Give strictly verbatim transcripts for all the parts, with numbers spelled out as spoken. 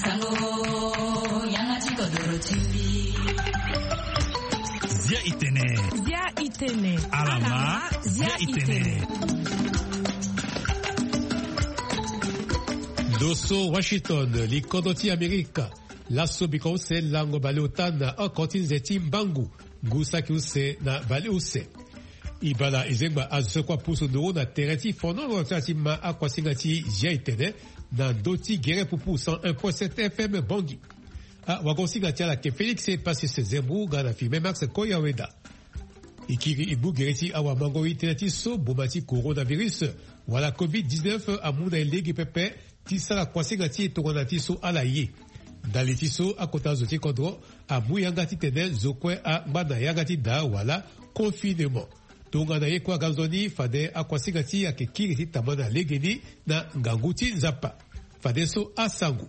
Sango, yanga ti kodoro ti mbi. Zia itene. Zia itene. Alama, zia itene. Ndo so Washington, likodro ti Amerika. Laso biko use lango baleota na oko ti nze ti mbangu. Ngu saki use na baleuse. E bala e zengba azo so kue apusu nduru na tere ti fonono ti ma akuasinga ti zia itene na ndö ti gere pupu cent un point sept F M Bangui. Awagosinga ti ala ayeke Félix Passis Zembu nga na filme Max Koyaweda. E kiri e gbu gere ti awamango itene ti so boma ti coronavirus wala covid dix-neuf amu na e lege pepe ti sara kuasinga ti e tongana ti so ala ye. Ndali ti so akota zo ti kodro amu yanga titene zo kue angba na yanga ti daa wala confinement. Tongana ye kue aga nzoni fade akuasinga ti e ayeke kiri ti tambana legeni na ngangu ti Nzapa. Fadeso asango.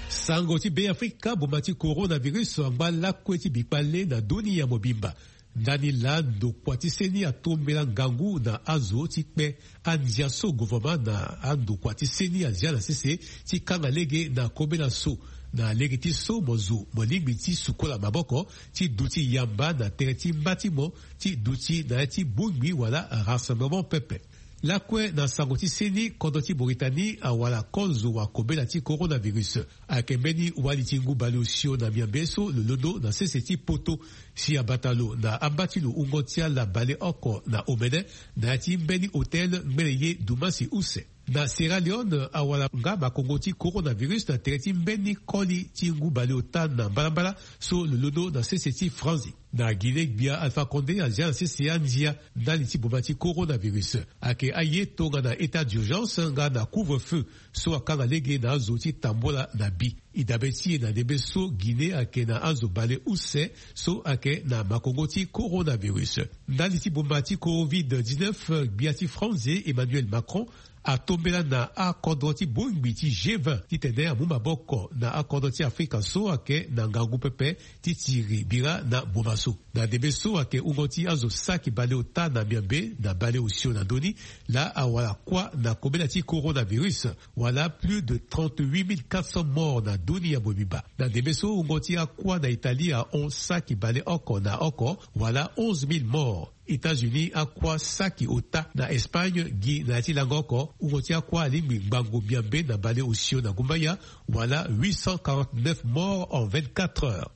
Sango ti Beafrika, boma ti coronavirus angba lakue ti bikpale na dunia mobimba. Ndani laa ndokua ti seni atombela ngangu na azo ti kpe andia so gouvernement na andokua ti seni azia na sese ti kanga lege na kobela so, na lege ti so mo zo mo lingbi ti sukola maboko ti duti yamba na tere ti mba ti mo ti duti na ya ti bongbi wala rassemblement pepe. Lakue na sango ti seni, kodro ti Mauritanie awara kozo wa kobela ti coronavirus. Ayeke mbeni wali ti ngu baleosio na miambe so lo londo na sese ti poto si abata lo na amba ti lo wungo ti ala baleoko na omene na ya ti mbeni hôtel ngbene ye dumasi use. Na Sierra Leone awara nga makongo ti coronavirus na tere ti mbeni koli ti ngu baleota na mbalambala so lo londo na sese ti Franzi. Na Guinée, gbia Alpha Condé azia na sese andia ndali ti boma ti coronavirus. Ayeke aye tongana état d'urgence nga na couvre-feu so akanga lege na azo ti tambola na bi. E dabe ti e na ndembe so Guinée ayeke na azo baleuse so ayeke na makongo ti coronavirus. Ndali ti boma ti covid dix-neuf, gbia ti France Emmanuel Macron atombela na akodro ti bongbi ti G vingt titene amu maboko na akodro ti Afrika so ayeke na ngangu pepe ti tiri bira na boma so. Na ndembe so ayeke wungo ti azo saki baleota na miambe na baleosio na ndö ni, laa awara kuâ na kobela ti coronavirus, wala plus de trente-huit mille quatre cents morts na dunia mobimba. Na ndembe so wungo ti akuâ na Italie ahon saki baleoko na oko, wala onze mille morts. États-Unis akuâ saki ota. Na Espagne gi na ya ti lango oko, wungo ti akuâ alingbi ngbangbo miambe na baleosio na gumbaya, wala huit cent quarante-neuf morts en vingt-quatre heures.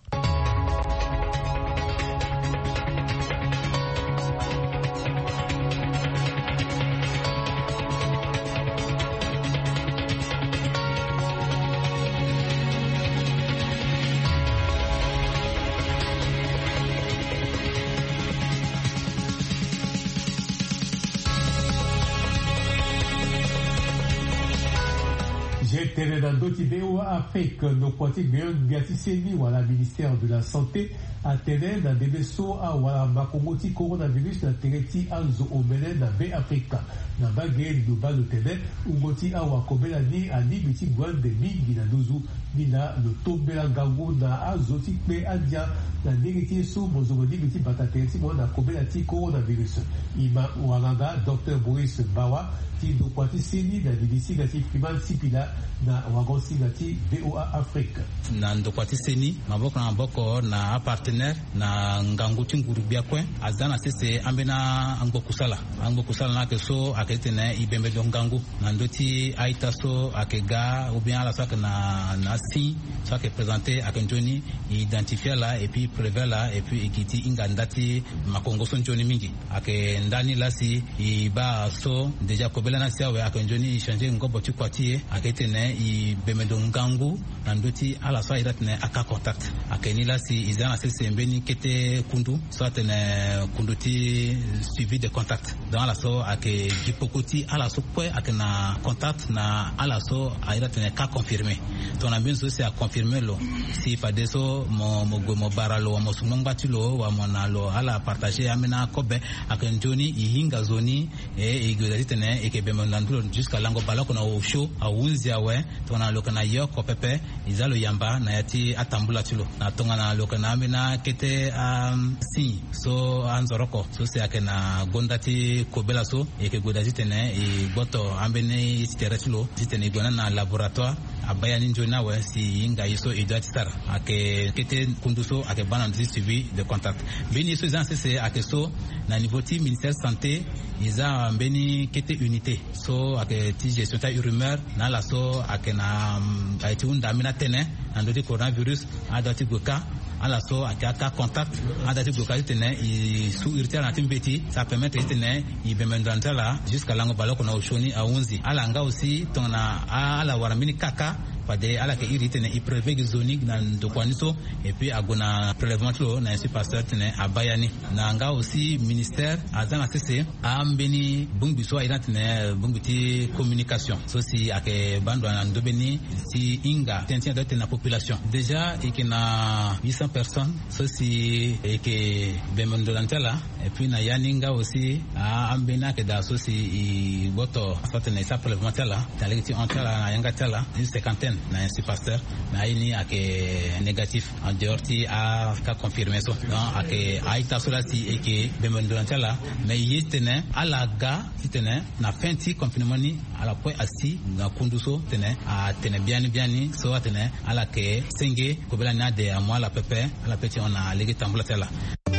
Zia tene na ndö ti V O A Afrique, ndokua ti gbeon-gbia ti seni wala ministère de la santé atene na ndembe so awara makongo ti coronavirus na tere ti azo omene na Beafrika. Na mbage liloba lo tene wungo ti awakobela ni alingbi ti gue ande mingi na nduzu. Ni laa lo tombela ngangu na azo ti kpe andia na ndenge ti ye so mo zo mo lingbi ti bata tere ti mo na kobela ti coronavirus. E ma wanganga Docteur Boris Mbawa ti ndokua ti seni na nini singa ti Freeman Sipila na wagon singa ti V O A Afrique. Na ndokua ti seni maboko na maboko na apartenaire na ngangu ti nguru gbia kue aza na sese ambeni angbo kusala. Angbo kusala ni ayeke so ayeke titene e bembe ndo ngangu na ndö ti a-ita so ayeke ga ou bien ala so ayeke na, na signe so ayeke présenter ayeke nzoni e identifier ala et puis e prélever ala et puis e gi ti hinga nda ti makongo so nzoni mingi. Ayeke ndani laa si e baa so déjà kobela ni asi awe ayeke nzoni e changer ngobo ti kua ti e ayeke titene e bembe ndo ngangu na ndö ti ala so a iri atene a-cas contact. Ayeke ni laa si e za na sese mbeni kete kundu so atene kundu ti suivi de contact. Donc ala so ayeke gi peko ti ala so kue ayeke na contact na ala so a iri atene cas confirmé. Tongana mbeni zo si a confirmé lo si fadeso mo, mo gue mo bara lo wala mo su ngbangba ti lo wala mo na lo ala partager ambeni akobe. Ayeke nzoni e hinga zo ni e, e gue daa titene e yeke bembe na ndö lo jusqu'à lango baleoko na osio ahunzi awe. Tongana lo yeke na ye oko pepe e za lo yamba na ya ti atambula ti lo. Na tongana lo yeke na ambeni Akete a signe so anzoroko so si ayeke na gonda ti kobela so, e yeke gue daa titene e gboto ambeni ti tere ti lo titene e gue na na laboratoire. Abaa ya ni nzoni awe si e hinga ye so e doit ti sara. Ayeke kete kundu so ayeke baa na ndo ti suivi de contact. Mbeni ye so e za na sese ayeke so, na niveau ti ministère santé, e za mbeni kete unité so ayeke ti gestion ti a-rumeur na ala so ayeke na aye ti hunda ambeni atene na ndö ti coronavirus. Adoit ti gue ka ala so ayeke aka contact. Adoit ti gue ka titene e su iri ti ala na ti mbeti, ça permettre titene e bembe ndo na ti ala jusqu'à lango baleoko na osioni ahunzi. Ala nga aussi tongana ala wara mbeni kaka, fade ala yeke iri titene e prélever gi zo ni na ndokua ni so. Et puis ague na prélèvement ti lo na Institut Pasteur titene abaa ya ni. Na nga aussi ministère aza na sese ambeni bongbi so aye na tene bongbi ti communication so si ayeke baa ndo na ndo mbeni ti hinga tënë ti adoit ti tene na population. Déjà e yeke na huit cents personnes so si e yeke bembe ndo na ti ala. Et puis na ya ni nga aussi ambeni ayeke daa so si e gboto so atene e sara prélèvement ti ala na lege ti hon ti ala na yanga ti ala une cinquantaine na Institut Pasteur. Mais aye ni ayeke négatif en dehors ti a cas confirmé so. Donc ayeke a-ita so laa si e yeke bembe ndo na ti ala. Mais e ye titene ala ga titene na fin ti confinement ni ala kue asi na kundu so titene atene biani biani so atene ala yeke senge kobela ni ade amu ala pepe. Ala pe ti hon na lege tambula ti ala. E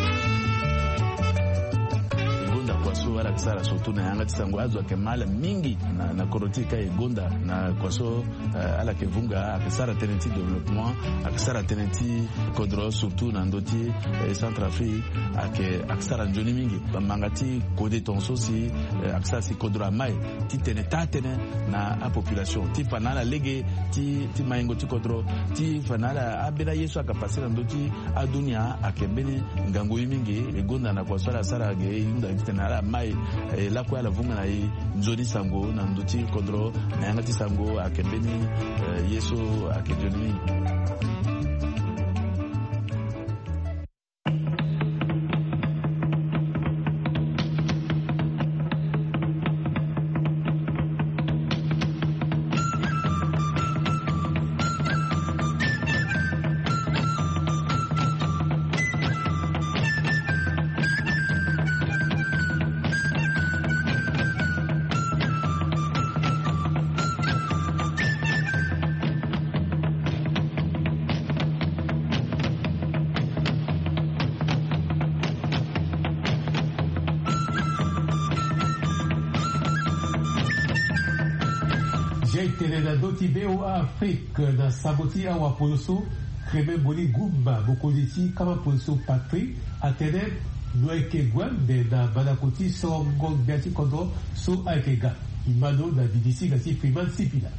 gonda kua so ala yeke sara surtout na yanga ti sango, azo ayeke ma ala mingi na, na kodro ti e ka e gonda na kua so, eh, ala yeke vunga, ayeke sara tënë ti développement, ayeke sara tënë ti kodro surtout na ndö ti, eh, Centrafrique, ayeke, ayeke sara nzoni mingi. Bamanga ti kode tongaso si, eh, ayeke sara si kodro amai titene taa tënë na apopulation ti fa na ala lege ti, ti maingo ti kodro, ti fa na ala ambeni aye so ayeke pase na ndö ti adunia ayeke mbeni ngangu ye mingi. E gonda na kua so ala sara ge e hunda titene ala mai, eh, lakue ala vunga na e nzoni sango na ndö ti kodro na yanga ti sango ayeke mbeni, eh, ye so ayeke nzoni mingi. Zia e tene na ndö ti B O A Afrique na sango ti awapolo so, Kreme Mboli Gumba, mokonzi ti kama poliso patrie, atene lo yeke gue ande na mandako ti sorongo gbia ti kodro so ayeke ga. E ma lo na didi singa ti Freeman Sipila.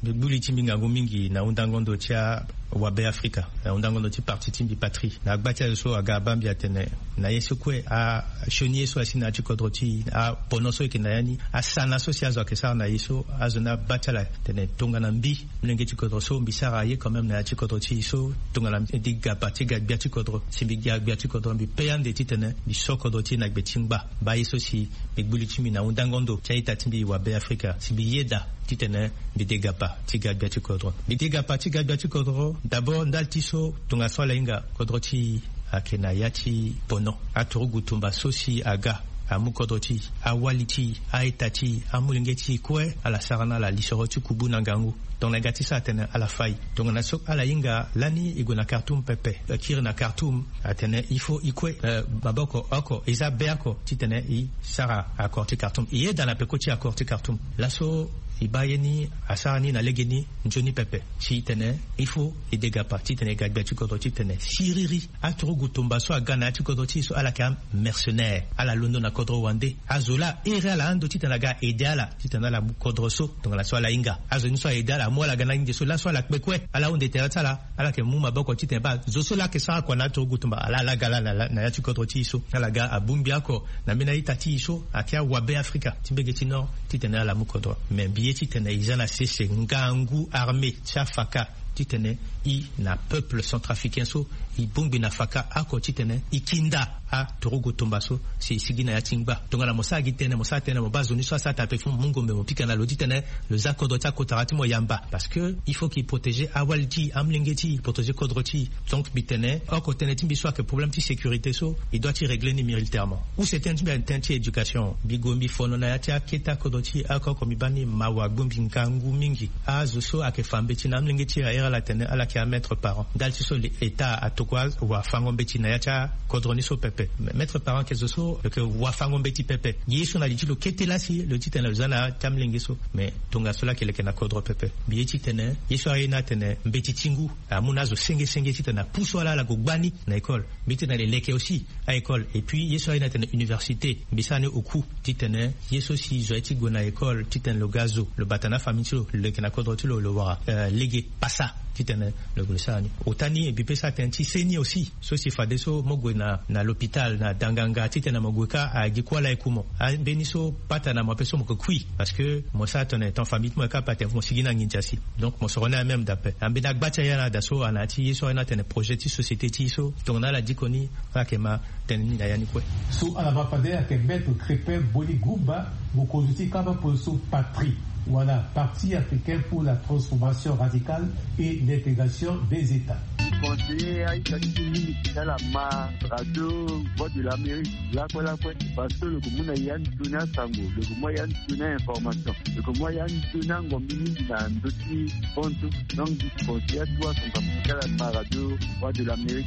Mbi gbu li ti mbi ngangu mingi na hundango ndo ti awabe Afrika, na hundango ndo ti parti ti mbi patrie, na agba ti azo so aga abaa mbi atene na ye so kue asioni ye so asi na ya ti kodro ti e, apono so e yeke na ya ni, asana so si azo ayeke sara na e so azo ni abaa ti ala tene tongana mbi molenge ti kodro so mbi sara ye quand même na ya ti kodro ti e so tongana mbi de gapa ti ga gbia ti kodro. Si mbi ga gbia ti kodro mbi pe ande titene mbi so kodro ti e na gbe ti ngba. Baa ye so si mbi gbu li ti mbi na hundango ndo ti a-ita ti mbi wabe Afrika si mbi yeda titene mbi de gapa ti ga gbia ti kodro. Mbi de gapa ti ga gbia ti kodro d'abord ndali ti so tongaso ala hinga kodro ti e ayeke na ya ti pono. Aturugu tumba so si aga amu kodro ti e, awali ti e, a-ita ti e, amolenge ti e kue ala sara na ala lisoro ti kubu na ngangu. Tongana e ga ti sara tene ala fai. Tongana so ala hinga lani e gue na Khartoum pepe, e kiri na Khartoum, atene il faut e kue, eh, maboko oko, e za be oko titene e sara accord ti Khartoum. E yeda na peko ti accord ti Khartoum. Laso e baa ye ni asara ni na legeni nzoni pepe titene il faut e de gapa titene e ga gbia ti kodro titene siriri. Aturugu tumba so aga na ya ti kodro ti e so ala yeke amercenaire, ala londo na kodro wande. Azo laa ahere ala ando titene aga aide ala titene ala mu kodro so tongana so ala hinga. Azo ni so aide ala amu ala ga na nginze so laso ala kpe kue, ala hunde tere ti ala. Ala yeke mu maboko titene baa zo so laa ayeke sara kua na aturugu tumba ala ala ga laa na, na ya ti kodro ti e so. Ala ga abongbi oko na mbeni a-ita ti e so ayeke awabe Afrika ti mbege ti Nord titene ala mu kodro. Mais mbi ye titene e za na sese ngangu armée ti afaka titene e na peuple centrafricain so e bongbi na faka oko titene e kinda Aturugu tumba so si e sigi na ya ti ngba. Tongana mo sara gi tënë, mo sara tënë, mo baa zo ni so asara taa pe fo mo mu ngombe mo pika na lo titene lo za kodro ti akotara ti mo yamba, parce que il faut qu'il protège awali ti amolenge ti protège kodro ti. Donc mbi tene oko tënë ti mbi so ayeke problème ti sécurité so, il doit ti régler ni militairement. Use tënë ti mbi ayeke tënë ti éducation. Mbi gue mbi fono na ya ti aketa kodro ti oko oko, mbi baa ni mawa gbongbi ngangu mingi. Azo so ayeke fa mbeti na amolenge ti e, aye ala tene ala yeke amaître parent. Ndali ti so état atokua wafango mbeti na ya ti akodro ni so pepe. Maître parent ayeke zo so lo yeke wafango mbeti pepe. Ye so na li ti lo kete laa si lo titene lo za na ya ti amolenge so. Mais tongaso laa ayeke leke na kodro pepe. Mbi ye titene ye so aye ni atene mbeti ti ngu amu na azo senge senge titene apusu ala ala gue gbani na école. Mbi titene ale leke aussi a école. Et puis ye so aye ni atene université, mbi sara ni oku titene ye so si zo aye ti gue na école titene lo ga zo, lo bata na afamille ti lo, lo leke na kodro ti lo, lo wara lege pasa titene lo gue lo sara ni. Ota ni mbi pe sara tënë ti seni aussi. So si fadeso mo gue na na l'hôpital na danganga titene mo gue kâ agi kuâ laa e ku mo. Ambeni so pata na mo ape so mo ke kui, parce que mo sara tene ton famille ti mo e kâ pate mo sigi na nginza si. Donc mo soro ni amême d'ape ambeni agba ti aya na ada so ana ya ti ye so aye ni atene projet ti société ti e so tongana ala diko ni. Ala yeke ma tene ni na ya ni kue. So ala baa fade ayeke maître Crépin Boli Gumba, mokonzi ti kamba poli so Patri wala Parti africain pour la transformation radicale et l'intégration des états. Conseiller aita ti mingi ti ala ma radio Voix de l'Amérique lakue lakue, parce que lo ke mu na ya nzoni asango, lo ke mu ya nzoni a information, lo ke mu ya nzoni angombi mingi na ndö ti fontu. Donc conseiller atu asango ti ala ma radio Voix de l'Amérique.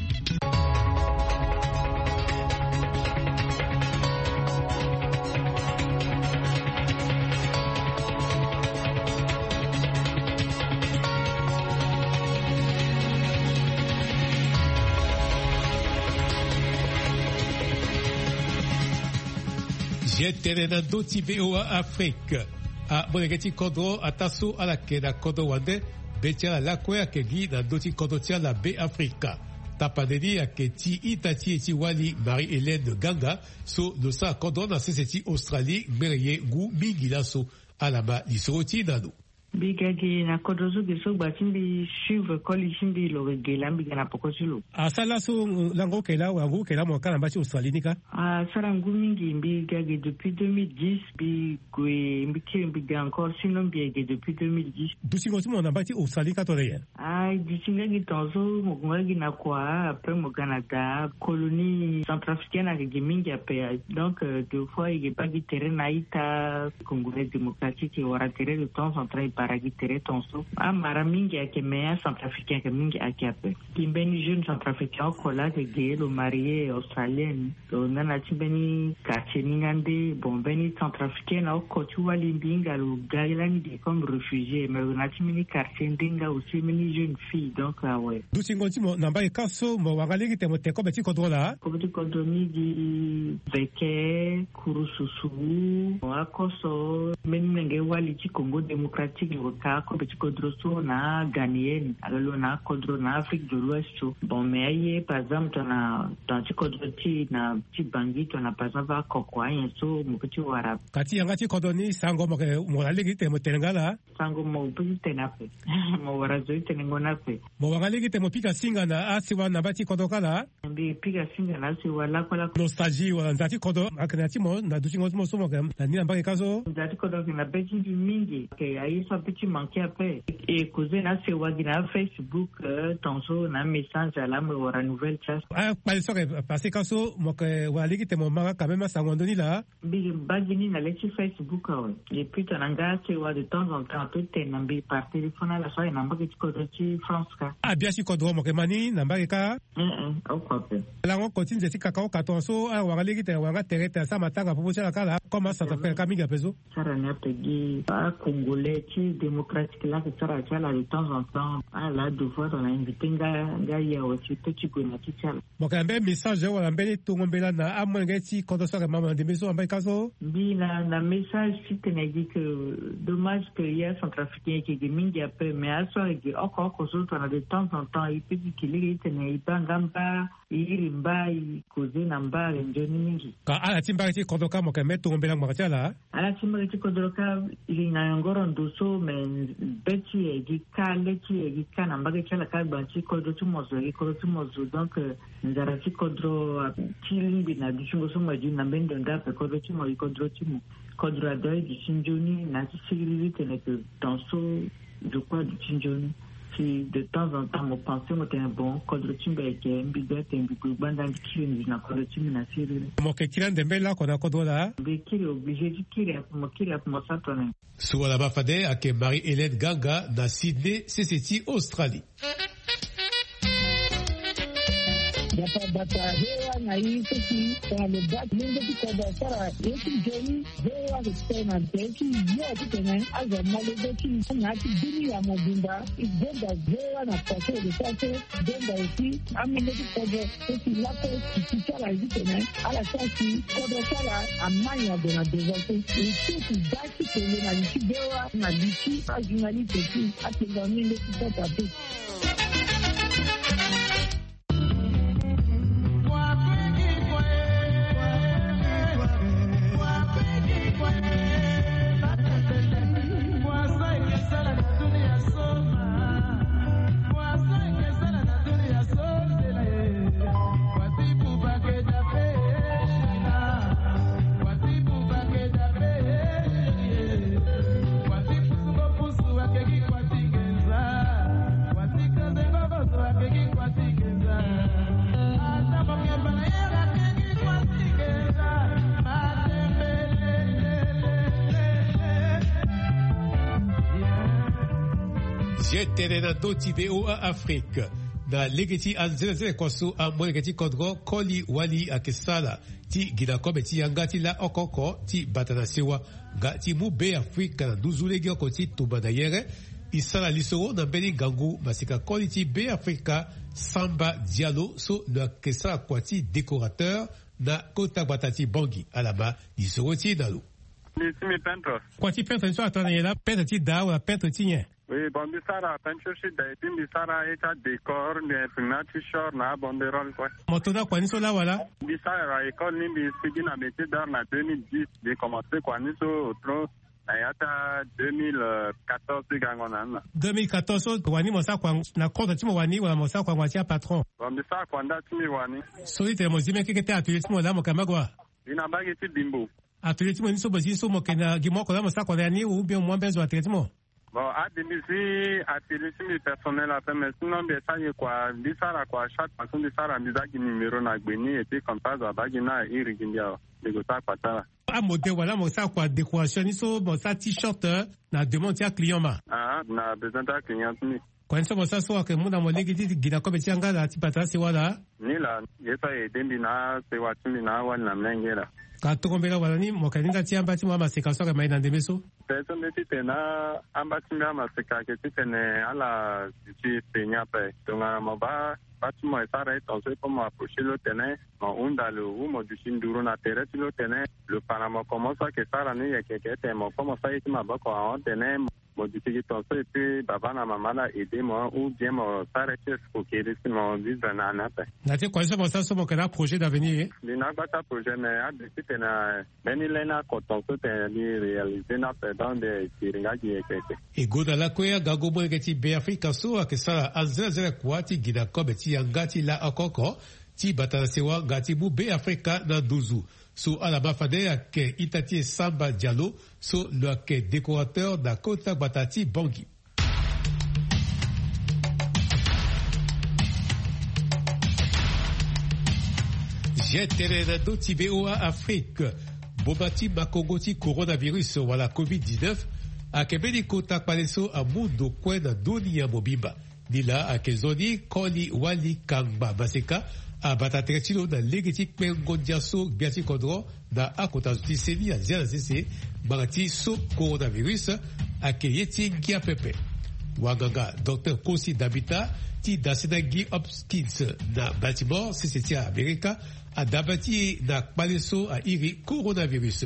Zia tene na ndö ti VOA Afrique. Amolenge ti kodro ataa so ala yeke na kodro wande, be ti ala lakue ayeke gi na ndö ti kodro ti ala Be Afrika. Tapande ni ayeke ti ita ti e ti wali Marie Hélène Ganga, so lo sara kodro na sese ti Australie ngbene ye ngu mingi laso. Ala ma lisoro ti e na lo. Mbi ga ge na kodro so ge so gba ti mbi suivre koli ti mbi lo ge ge laa mbi ga na poko ti lo. Asara laso lango oke laa wala ngu oke laa mo ka na mba ti Australie ni ka? Asara ngu mingi, mbi ga ge depuis deux mille dix, mbi gue mbi kiri mbi ga encore, sinon mbi yeke ge depuis deux mille dix. Dutingo ti mo na mba ti Australie ka tongana nyen? Ah, duti nga gi tongaso mo gue nga gi na kua, après mo ga na da colonie centrafricaine ayeke gi mingi ape. Donc euh, deux fois e yeke baa gi tere na ita congolais démocratique, e wara tere de temps en temps, e bara gi tere tongaso. Amara mingi ayeke, mais acentrafricain ayeke mingi ayeke ape. Gi mbeni jeune centrafricain oko laa ayeke ge, lo marie australienne. Lo na na ti mbeni quartier ni nga nde. Bon, mbeni centrafricaine oko ti wali mbi hinga lo ga lani ge comme réfugié, mais lo na ti mbeni quartier nde nga aussi, mbeni jeune fille. Donc awe. Dutingo ti mo na mbage kâ so mo wara nga lege tene mo tene kobe ti kodro laa? Kobe ti kodro ni gi Veke, Kurususu, akoso mbeni molenge wali ti Congo démocratique lo ka akobe ti kodro so na Ghanéenne, alo lo na akodro na Afrique de l'Ouest so. Bon, mais aye par exemple tongana tongana ti kodro ti na ti Bangui tongana par exemple akoko anyen so mo peut ti wara. Ka ti yanga ti kodro ni sango mo yeke mo wara lege ti tene mo tene nga laa? Sango mo peut ti tene ape. Mo wara zo ti tene ngo ni ape. Mo wara lege ti tene mo pika singa na asewa na mba ti kodro kâ laa? Mbi pika singa na asewa lakue lakue. Nostalgie wala nza ti kodro ayeke na ya ti mo na dutingo ti mo so mo yeke na ni na mbage kâ so? Nza ti kodro ayeke na be ti mbi mingi. Ayeke aye so apeut ti manquer ape. E causer na asewa gi na afacebook, euh, tongaso na amessage ala mo wara nouvelle ti aso. Akpale so ayeke passé kâ so mo yeke wara lege ti tene mo ma nga quand même asango na ndö ni laa? Mbi baa gi ni na le ti Facebook awe. Et puis tongana nga asewa de temps en temps apeut ti tene na mbi par téléphone ala so ayeke na mbage ti kodro ti France kâ. Abia ti kodro mo yeke ma ni na mbage kâ? Ee, oko ape. Lango oko ti nze ti kaka oka tongaso ala wara lege ti tene wara nga tere ti tene asara matanga popo ti ala kâ laa, comme acentrafricain kâ mingi ape so. Sara ni ape gi acongolais ti démocratique laa ayeke sara ti ala de temps en temps. Ala deux fois tongana invité nga, nga ye awe si peut ti gue na ti ti ala. Mo yeke na mbeni message wala mbeni tongo mbela na amolenge ti kodro so ayeke ma mo na ndembe so na mbage kâ so? Mbi na, na message ti tene gi ke dommage ke ye acentrafricain ayeke gi mingi ape, mais aso ayeke gi oko oko so tongana de temps en temps e peut ti gi lege ti tene e baa nga mba, e iri mba, e causer na mba ayeke nzoni mingi. Ka ala ti mbage ti kodro kâ mo yeke mbeni tongo mbela ngbanga ti ala? Ala ti mbage ti kodro kâ, e li na yongoro ndo so Mais be ti e gi ka le ti e gi ka na mbage ti ala ka gba ti kodro ti mo zo e gi kodro ti mo zo. Donc nzara ti kodro ti lingbi na dutingo so mo edi na mbeni ndo nda ape kodro ti mo gi kodro ti mo. Kodro adoi duti nzoni na ti siriri tene ke temps so zo kue aduti nzoni. Si de temps en temps mo pense mo tene bon kodro ti mbi ayeke mbi ga tene mbi gue gbanda mbi kiri mbi na kodro ti mbi na siriri. Mo yeke kiri ande mbeni lako na kodro laa? Mbi kiri obligé ti kiri ape mo kiri ape mo sa tone. So wala ma fade ayeke Marie Hélène Ganga na Sydney sese ti Australie. Bata bata hewa na i seki tongana lo baa ti lenge ti kodro asara ye ti nzoni. Hewa ayeke tene na tere ti yo titene azo amolenge ti na ya ti bini ya mobimba. I gonda hewa na kua so e lo sara so. Donda aussi amolenge ti kodro so si lakue si ti ti ala ye titene ala sara si kodro ti ala amai ague na devant so. E so si baa ti tene na li ti bewa na li ti ajournaliste ti atenga minde ti kota pe. Zia tene na ndö ti V O A Afrique. Na lege ti anzenanzene kua so amolenge ti kodro koli wali ayeke sara ti gi na kobe ti yanga ti la oko oko ti bata na sewa nga ti mu Beafrika na nduzu lege oko ti tumba na yere. E sara lisoro na mbeni ngangu maseka koli ti Beafrika Samba Diallo so lo yeke sara kua ti décorateur na kota gbata ti Bangui. Ala ma lisoro ti e na lo. Mbi si mbi peintre. Kua ti peintre ni so atara na nyen laa? Peintre ti da wala peintre ti nyen? Oui, bon, mbi sara peinture ti da et puis mbi sara ye ti adécor, mbi imprime na t-shirt na abanderole kue. Mo to na kua ni so laa wala? Mbi sara école ni, mbi sigi na métier d'art na deux mille dix. Mbi commencé kua ni so otro na ya ti deux mille quatorze ti gango na ni na. Deux mille quatorze so wani mo sara kua na compte ti mo wani wala mo sara kua na ngbanga ti apatron? Bon, mbi sara kua nda ti mbi wani. So ti tene mo zi mbeni keke ti atelier ti mo laa mo yeke na mbage wa? Mbi na mbage ti Bimbo. Atelier ti mo ni so mo zi so mo yeke na gi mo oko laa mo sara kua na ya ni ou bien mo mu ambeni zo na tere ti mo? Bon, ade mbi zi atelier ti mbi personnel ape, mais sinon mbi sara ye kua, mbi sara kua chaque fois so mbi sara mbi za gi numéro na gbe ni et puis comme ça zo abaa gi ni na iri gi mbi awe. Mbi gue sara kua ti ala. Amodèle wala mo sara kua décoration ni so mo sara t-shirt na demande ti aclient ma? Ah, na besoin ti aclient ti mbi. Kua ni so mo sara so ayeke mu na mo lege ti gi na kobe ti yanga laa ti bata asewa laa? Ni laa, ye so aye aidé mbi na asewa ti mbi na awali na mlenge laa. Ka tongo mbela wala ni mo yeke na ni nda ti amba ti mo amaseka so ayeke ma e na ndembe so? Pe so mbi titene amba ti mbi amaseka ayeke titene ala duti peni ape. Tongana mo baa baa ti mo e sara e tongaso e kue mo approché lo tene mo hunda lo ou mo duti nduru na tere ti lo tene lo fa na mo comment so ayeke sara ni yeke yeke tene mo kue mo sara ye ti maboko ahon tene mo duti gi tongaso et puis baba na mama la aidé mo ou bien mo sara ye ti escroquerie si mo vivre na ni ape. Na ti kua ni so mo sara so mo yeke na aprojet d'avenir? Mbi na agba ti aprojet mais ade titene mbeni lani oko tongaso tene mbi réalisé ni ape donc mbi siri nga gi yeke yeke. E gonda lakue agango molenge ti Beafrika so ayeke sara anzenanzene kua ti gi na kobe ti yanga ti la oko oko ti bata na sewa nga ti mu Beafrika na nduzu. So ala ma fade ayeke ita ti e Samba Diallo so lo yeke décorateur na kota gbata ti Bangui. Zia tene na ndö ti V O A Afrique. Boma ti makongo ti coronavirus wala covid dix-neuf ayeke mbeni kota kpale so amu ndo kue na ndö ni ya mobimba. Ni laa ayeke nzoni koli wali kangba maseka abata tere ti lo na lege ti kpengo ndia so gbia ti kodro na akota zo ti seni azia na sese ngbanga ti so coronavirus ayeke ye ti ngia pepe. Wanganga docteur Kosi Dabita ti dasinagi Hopkins na Baltimore sese ti Amerika adaba ti e na kpale so airi coronavirus.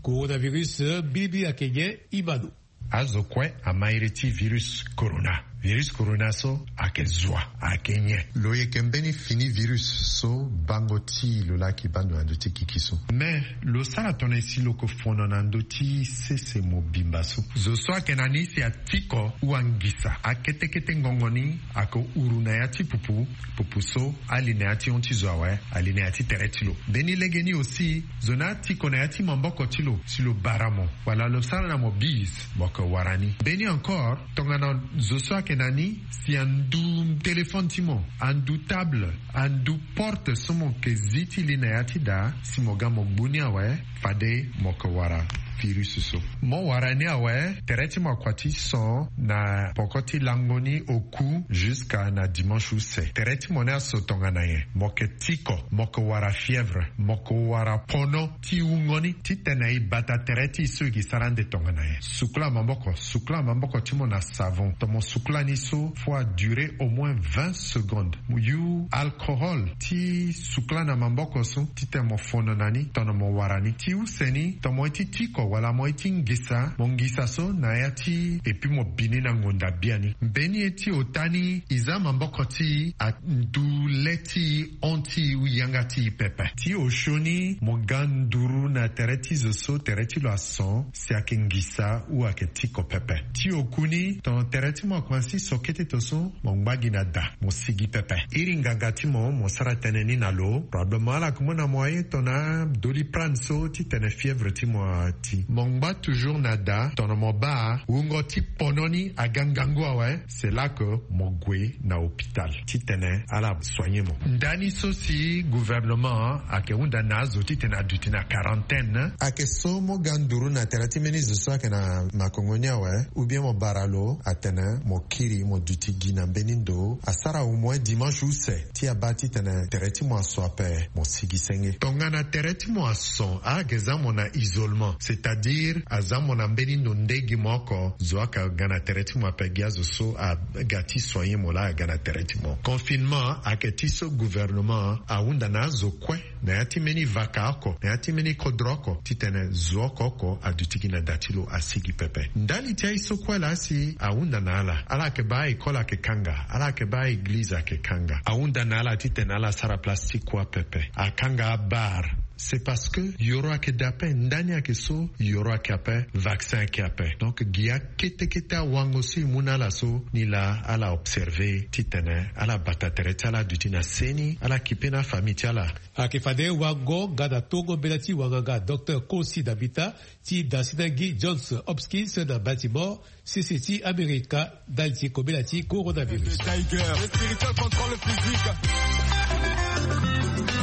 Coronavirus mbilimbili ayeke nyen? I ma lo. Azo kue ama iri ti virus corona. Virus corona so ayeke zua, ayeke nyen? Lo yeke mbeni fini virus so bango ti lo laa ayeke baa ndo na ndö ti kiki so. Mais lo sara tongana e si lo yeke fono na ndö ti sese mobimba so. Zo so ayeke na ni si atiko ou angisa akete kete ngongo ni, ayeke huru na ya ti pupu. Pupu so ali na ya ti hon ti zo awe, ali na ya ti tere ti lo. Mbeni legeni aussi, zo ni atiko na ya ti maboko ti lo si lo bara mo, wala lo sara na mo bise, mo yeke wara ni. Mbeni encore, tongana zo so ayeke na ni si andu téléphone ti mo, andu table, andu porte so mo yeke zi ti li na ya ti daa, si mo ga mo gbu ni awe, fade mo yeke wara virus so. Mo wara ni awe, tere ti mo akua ti son na poko ti lango ni oku jusqu'à na dimanche use. Tere ti mo ni aso tongana nyen? Mo yeke tiko, mo yeke wara fièvre, mo yeke wara pono ti wungo ni, titene e bata tere ti e so e ke sara ande tongana nyen? Sukula maboko, sukula maboko ti mo na savon. Tongana mo sukula ni so, faut a durer au moins vingt secondes. Mo yu alcohol ti sukula na maboko so, titene mo fono na ni, tongana mo wara ni. Ti use ni, tongana mo ye ti tiko wala mo ye ti ngisa, mo ngisa so na ya ti e, puis mo bi ni na ngonda biani. Mbeni ye ti ota ni, e za maboko ti e, andu le ti e, hon ti e ou yanga ti e pepe. Ti osio ni, mo ga nduru na tere ti zo so tere ti lo ason, si ayeke ngisa ou ayeke tiko pepe. Ti oku ni, tongana tere ti mo akomanse so kete to so, mo ngba gi na da, mo sigi pepe. Iri nganga ti mo, mo sara tënë ni na lo. Probablement ala yeke mu na mo aye tongana Doliprane so titene fièvre ti mo ati. Mo ngba toujours na da, tongana mo baa wungo ti pono ni aga ngangu awe, c'est là que mo gue na hôpital titene ala soigner mo. Ndani so si gouvernement ayeke hunda na azo titene aduti na quarantaine. Ayeke so mo ga nduru na tere ti mbeni zo so ayeke na makongo ni awe, ou bien mo bara lo atene mo kiri mo duti gi na mbeni ndo, asara au moins dimanche use, ti abaa titene tere ti mo aso ape, mo sigi senge. Tongana tere ti mo ason, ala yeke za mo na isolement, c'est-à-dire aza mo na mbeni ndo nde gi mo oko, zo ayeke ga na tere ti mo ape, gi azo so aga ti soigner mo laa aga na tere ti mo. Confinement ayeke ti so gouvernement ahunda na azo kue, na ya ti mbeni vaka oko, na ya ti mbeni kodro oko, titene zo oko oko aduti gi na da ti lo, asigi pepe. Ndali ti aye so kue laa si ahunda na ala, ala yeke baa école ayeke kanga, ala yeke baa église ayeke kanga. Ahunda na ala titene ala sara place ti kua pepe, akanga abar. C'est parce que yoro ayeke daa ape, ndani ayeke so, yoro ayeke ape, vaccin ayeke ape. Donc gi akete kete awango so e mu na ala so, ni laa ala observer titene ala bata tere ti ala aduti na seni, ala kipe na afamille ti ala. Ayeke fade wango nga na tongo mbela ti wanganga docteur Kosi Dabita ti dasina gi Johns Hopkins na Baltimore, sese ti Amerika, ndali ti kobela ti coronavirus. Tiger. Le spirituel contrôle le physique.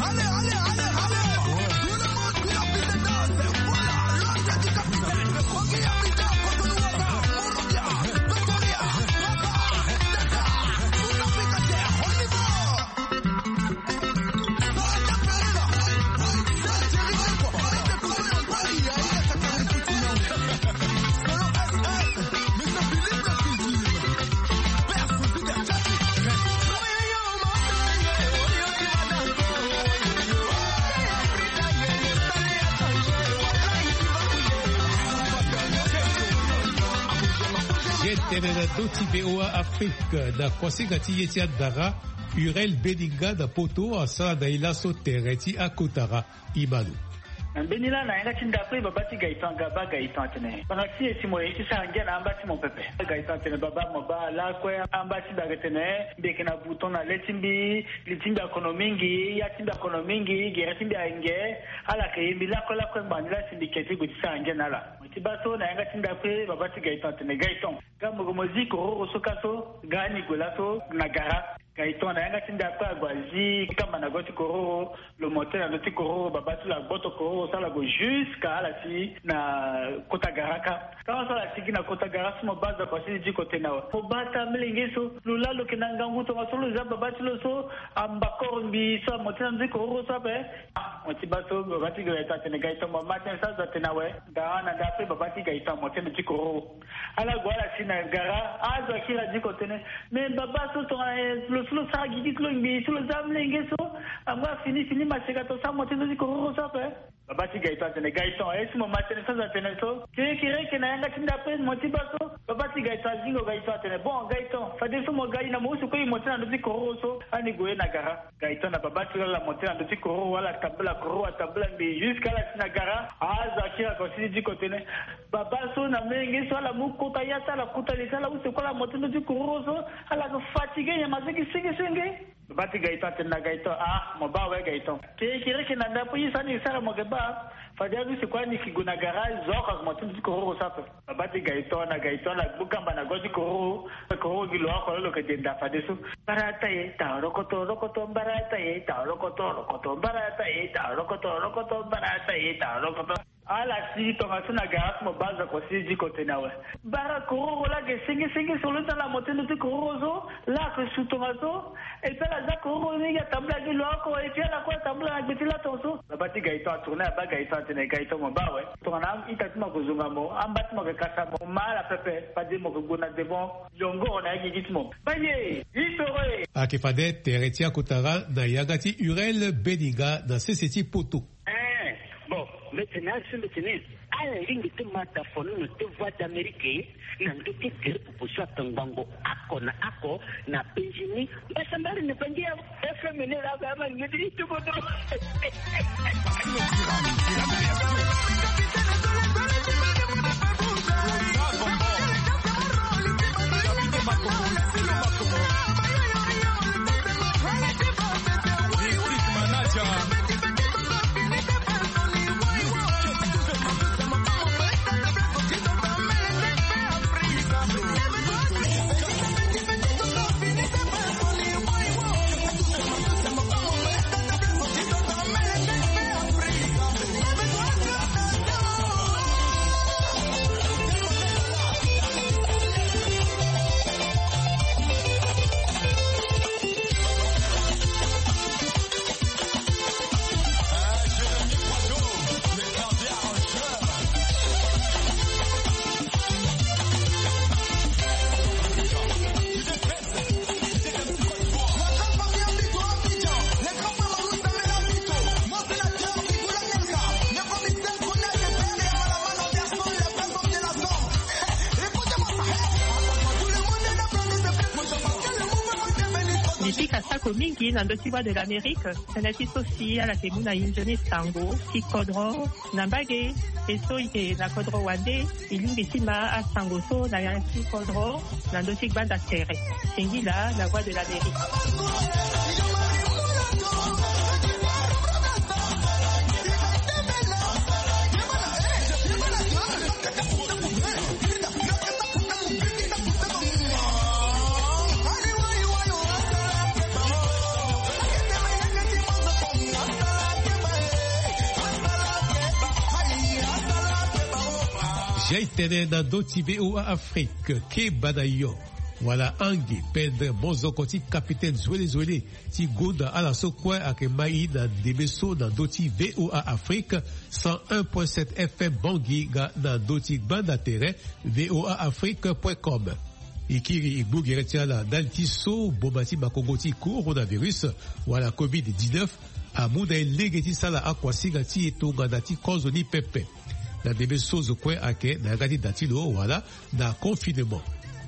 Allez, allez, allez, allez. Tout le monde, tout le monde, voilà, l'ordre du capitaine. Ye tene na ndö ti V O A Afrique, na kuasinga ti ye ti andara, Urel Beninga na Poto asara na e laso tere ti akotara. Imanu. Na mbeni laa na yanga ti ndapre baba ti Gaëtan, Gaba Gaëtan atene, banga ti e si mo ye ti sara ngia na amba ti mo pepe. Gaëtan atene, baba, mo baa lakue amba ti mbi ayeke tene mbi yeke na bouton na le ti mbi, li ti mbi akono mingi, ya ti mbi akono mingi, gere ti mbi ayeke nge. Ala yeke ye mbi lakue lakue ngbanga ni laa si mbi ke ti gue ti sara ngia na ala. Mo ye ti baa so na yanga ti ndapre baba ti Gaëtan atene, Gaëtan, ga mo gue mo zi kororo so ka so, ga ni gue laso na gara. Gaëtan na yanga ti ndapre ague azi kamba na go ti kororo. Lo mo tene na ndö ti kororo, baba ti lo agboto kororo so ala gue jusqu'à ala si na kota gara ka. Ka so ala si gi na kota gara so mo baa zo akua si diko tene awe. Mo baa taa melenge so, lo laa lo yeke na ngangu tongaso lo za baba ti lo so amba koro mbi so amo tene na ndö ti kororo so ape. Ah, mo ti baa so baba ti Gaëtan atene, Gaëtan, mo ma tënë so azo atene awe. Ga na ndapre baba ti Gaëtan amo tene ti kororo. Ala gue ala si na gara, azo akiri adiko tene. Me baba so tongana lo so lo sara gigi ti lo ngbii so lo za amolenge so, angu afini fini maseka to sa mo ti ndo ti kororo so ape. Baba ti Gaëtan atene, Gaëtan, e si mo ma tënë so aza tene so? Kirikiri eke na yanga ti nda pe mo ti baa so? Baba ti Gaëtan azingo Gaëtan atene, bon Gaëtan, fadeso mo ga ina mo usu kue imo ti na ndö ti kororo so, ani gue na gara. Gaëtan na baba ti lo ala mo ti na ndö ti kororo, ala tambula kororo, atambula mbi jusque ala si na gara. Azo akiri ako si ti diko tene, baba so na menge so ala mu kota ya ti ala kota li ti ala use kue ala mo ti ndö ti kororo so, ala fatigué nyama so gi senge senge. Baba ti Gaëtan atene na Gaëtan, ah mo baa awe Gaëtan, kirikiri eke na nda pe ye so ani sara mo yeke baa. Fade anu si kue ani yeke gue na garage zo oko ake mo ti ndö ti kororo so ape. Baba ti Gaëtan na Gaëtan ala gbu kamba na go ti kororo. Kororo gi lo oko lo lo yeke denda fadeso. Mbarata ye ta rokoto rokoto mbarata ye ta rokoto rokoto mbarata ye ta rokoto rokoto mbarata ye ta rokoto. Ala si tongaso na gara ti mo baa zo ako si diko tene awe. Bara kororo laa ake senge senge so lo ti ala mo ti ndö ti kororo so. Laa ake su tongaso. Et puis ala za kororo ni gi atambula gi lo oko et puis ala kue atambula na gbe ti laton so. Baba ti Gaëtan atourné abaa Gaëtan atene Gaëtan mo baa awe. Tongana a-ita ti mo ako zonga mo, amba ti mo ayeke kasa mo, mo ma ala pepe fade mo yeke gue na devant. Yongoro na ya gigi ti mo. Baye histoire. Ayeke fade tere ti akotara na yanga ti Hurel Beninga na sese ti poto. Eh, bon, mbi tene asi mbi tene ala lingbi ti ma dafono na te Voix d'Amérique na ndö ti gere pupu so atongbango ako na ako na Benjini. Mbasambari na bangi ya F M N laa ba ama ngedi ti bodo. Mbi pika sako mingi na ndö ti Voix de l'Amérique. Tënë ti so si ala yeke mu na e nzoni sango ti kodro na mbage. E so e yeke na kodro wande, e lingbi ti ma asango so na ya ti kodro na ndö ti gbanda tere. Singila na Voix de l'Amérique. Jai tene na ndö ti V O A Afrique, keba na yo. Wala ange pendre mozoko ti capitaine Zwele Zwele ti gonda ala so kue ayeke mai na ndembe so na ndö ti V O A Afrique, cent un point sept F M Bangui nga na ndö ti gbanda tere V O A Afrique point com. E kiri e gbu gere ti ala ndali ti so boma ti makongo ti coronavirus wala covid dix-neuf amu na e lege ti sala akuasinga ti e tongana ti kozo ni pepe. Na ndembe so zo kue ayeke na yanga ti da ti lo wala na confinement,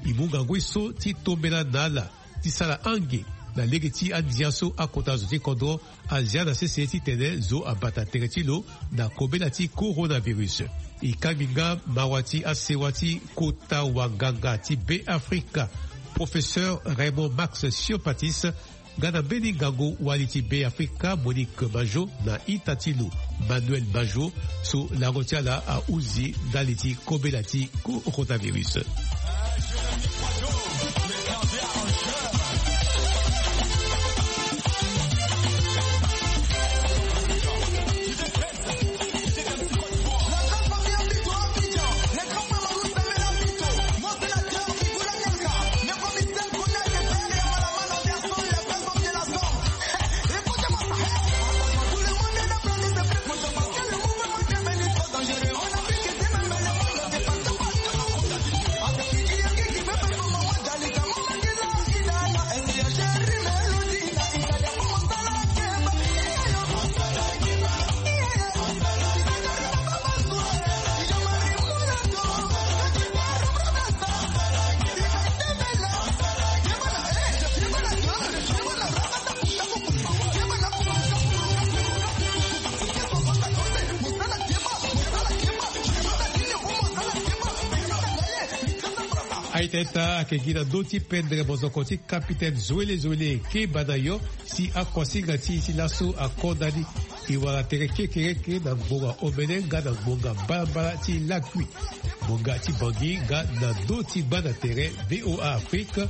e mu ngangu ye so ti tombela na ala ti sara ange na lege ti andia so akota zo ti kodro azia na sese titene zo abata tere ti lo na kobela ti coronavirus. E kangbi nga mawa ti asewa ti kota wanganga ti Beafrika, professeur Raymond Max Siopatis, nga na mbeni ngangu wali ti Beafrika Monique Bajo na ita ti lo Manuel Bajo, so lango ti ala ahuzi ndali ti kobela ti coronavirus. Aita ita ayeke gi na ndö ti pendre mozoko ti kapitene Zoele Zoele, keba na yo si akosinga ti e ti laso akonda ni. E wara tere kekereke na ngbonga omene nga na ngbonga mbalambala ti lakui. Ngbonga ti Bangui nga na ndö ti gba na tere VOA Afrique,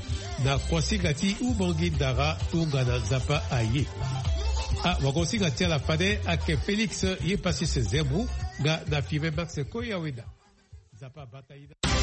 na kosinga ti Umangi Ndara, tongana Nzapa aye. Ah, wagosinga ti ala fade ayeke Félix Yepasis Zemou nga na Firmin Max Koyaweda. Nzapa abata ina.